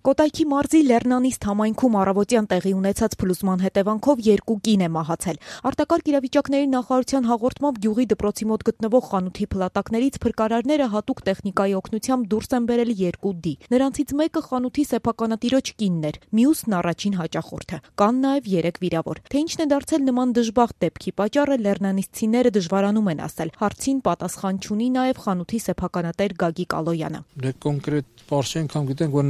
Կոտայքի մարզի Լեռնանիստ համայնքում առավոտյան տեղի ունեցած փլուզման հետևանքով 2 կին է մահացել։ Արտակարգ իրավիճակների նախարարության հաղորդմամբ գյուղի դպրոցի մոտ գտնվող խանութի փլատակներից փրկարարները հատուկ տեխնիկայի օգնությամբ դուրս են բերել 2 դի։ Նրանցից մեկը խանութի սեփականատիրոջ կինն էր, մյուսն առաջին հաճախորդը։ Կան նաև 3 վիրավոր։ Թե ինչն է դարձել նման դժբախտ դեպքի պատճառը, լեռնանիստցիները դժվարանում են ասել։ Հարցին պատասխան չունի նաև խանութի սեփականատեր Գագիկ Ալոյանը։ Կոնկրետ բարձր անգամ գիտենք, որ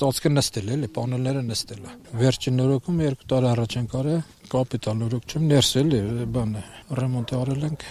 ծածկը նստել է, պանելները նստել է։ Վերջին նորոգում 2 տարի առաջ են կարել, կապիտալ նորոգ չեմ, ներսել է, բան է, ռեմոնտ արել ենք,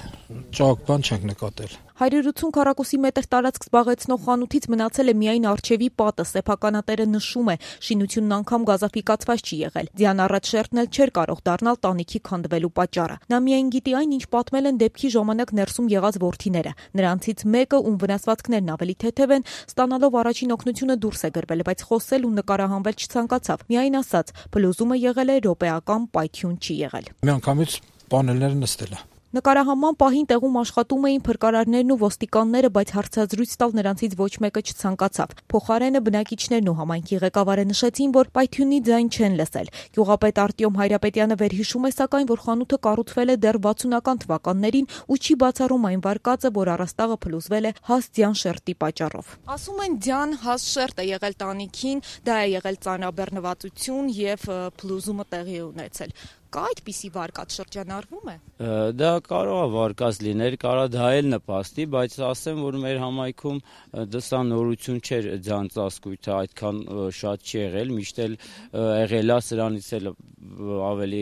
ճակ բան չենք նկատել։ 180 քառակուսի մետր տարածք զբաղեցնող խանութից մնացել է միայն առջևի պատը, սեփականատերը նշում է, շինությունն անգամ գազաֆիկացված չի եղել։ Ձյան առաջ շերտն էլ չէր կարող դառնալ տանիքի քանդվելու պատճառը։ Նա միայն գիտի այն, ինչ պատմել են դեպքի ժամանակ ներսում եղած որդիները։ Նրանցից մեկը, ում վնասվածքներն ավելի թեթև են, ստանալով առաջին օգնությունը դուրս է գրվել, բայց խոսել ու նկարահանվել չցանկացավ։ Միայն ասաց, փլուզումը եղել է րոպեական, պայթյուն չի եղել։ Միանգամից պանելները նստել է։ Նկարահանման պահին տեղում աշխատում էին փրկարարներն ու ոստիկանները, բայց հարցազրույց տալ նրանցից ոչ մեկը չցանկացավ։ Փոխարենը բնակիչներն ու համայնքի ղեկավարը նշեցին, որ պայթյունի ձայն չեն լսել։ Գյուղապետ Արտյոմ Հայրապետյանը վերհիշում է սակայն, որ խանութը կառուցվել է դեռ 60-ական թվականներին ու չի բացառում այն վարկածը, որ առաստաղը փլուզվել է հաստ ձյան շերտի պատճառով։ Ասում են ձյան հաստ շերտ է եղել տանիքին, դա է եղել ծանրաբեռնվածություն եւ փլուզումը տեղի ունեցել։ Կա այդպիսի վարկած շրջանառվում է։ Դա կարող է վարկած լինել, կարող դա էլ նպաստի, բայց ասեմ, որ մեր համայնքում դասա նորություն չէր ձյան ծածկույթը այդքան շատ չի եղել, միշտ էլ եղել է սրանից էլ ավելի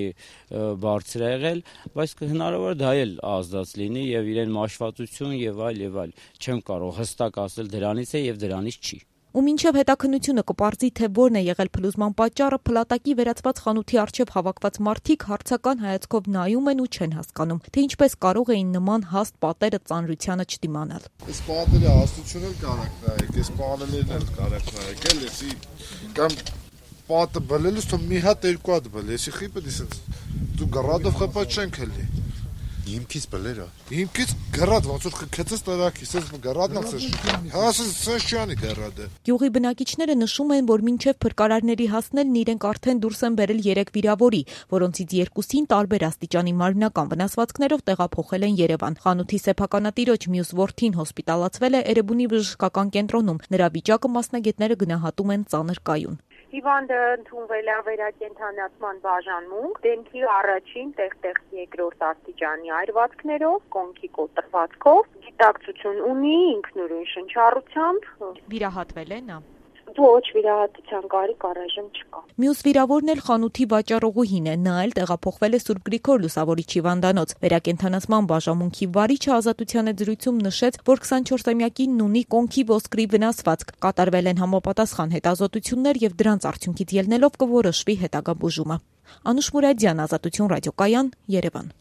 բարձր է եղել, բայց հնարավոր է դա էլ ազդած լինի եւ իրեն մաշվածություն եւ այլ, չեմ կարող հստակ ասել դրանից է եւ դրանից չի։ Ու մինչև հետաքննությունը կպարզի, թե որն է եղել փլուզման պատճառը, փլատակի վերածված խանութի առջև հավաքված մարդիկ հարցական հայացքով նայում են ու չեն հասկանում, թե ինչպես կարող էին նման հաստ պատերը ծանրությանը չդիմանալ։ Այս պատերի հաստությունը կարակ նայեք, այս պանելներն էլ կարակ նայեք, էլի կամ պատը բլելուց թող մի հատ 2 հատ բլ, էսի խիպը դիսենց դու գռադով խփած չենք էլի։ Հիմքից բլերա։ Հիմքից գռադ ոնց որ քեցես տարակի, սես գռադն ասես։ Հասես սեշյանի գռադը։ Գյուղի բնակիչները նշում են, որ մինչև փրկարարների հասնելն իրենք արդեն դուրս են բերել 3 վիրավորի, որոնցից 2-ին տարբեր աստիճանի մարմնական վնասվածքներով տեղափոխել են Երևան։ Խանութի սեփականատիրոջ մյուս որդին հոսպիտալացվել է Էրեբունի բժշկական կենտրոնում։ Նրա վիճակը մասնագետները գնահատում են ծանր կայուն։ Հիվանդը ընդունվել է վերակենդանացման բաժանմունք, դեմքի առաջին, տեղ-տեղ երկրորդ աստիճանի այրվածքներով, կոնքի կոտրվածքով, գիտակցություն ունի ինքնուրույն շնչառությամբ։ Վիրահատվել է նա։ Ոչ, վիրահատության կարիք առայժմ չկա։ Մյուս վիրավորն էլ խանութի վաճառողուհին է, նա էլ տեղափոխվել է Սուրբ Գրիգոր Լուսավորիչ հիվանդանոց։ Վերակենդանացման բաժանմունքի վարիչը Ազատության զրույցում նշեց, որ 24-ամյակինն ունի կոնքի ոսկրի վնասվածք։ Կատարվել են համապատասխան հետազոտություններ եւ դրանց արդյունքից ելնելով կորոշվի հետագա բուժումը։ Անուշ Մուրադյան, Ազատություն ռադիոկայան, Երևան։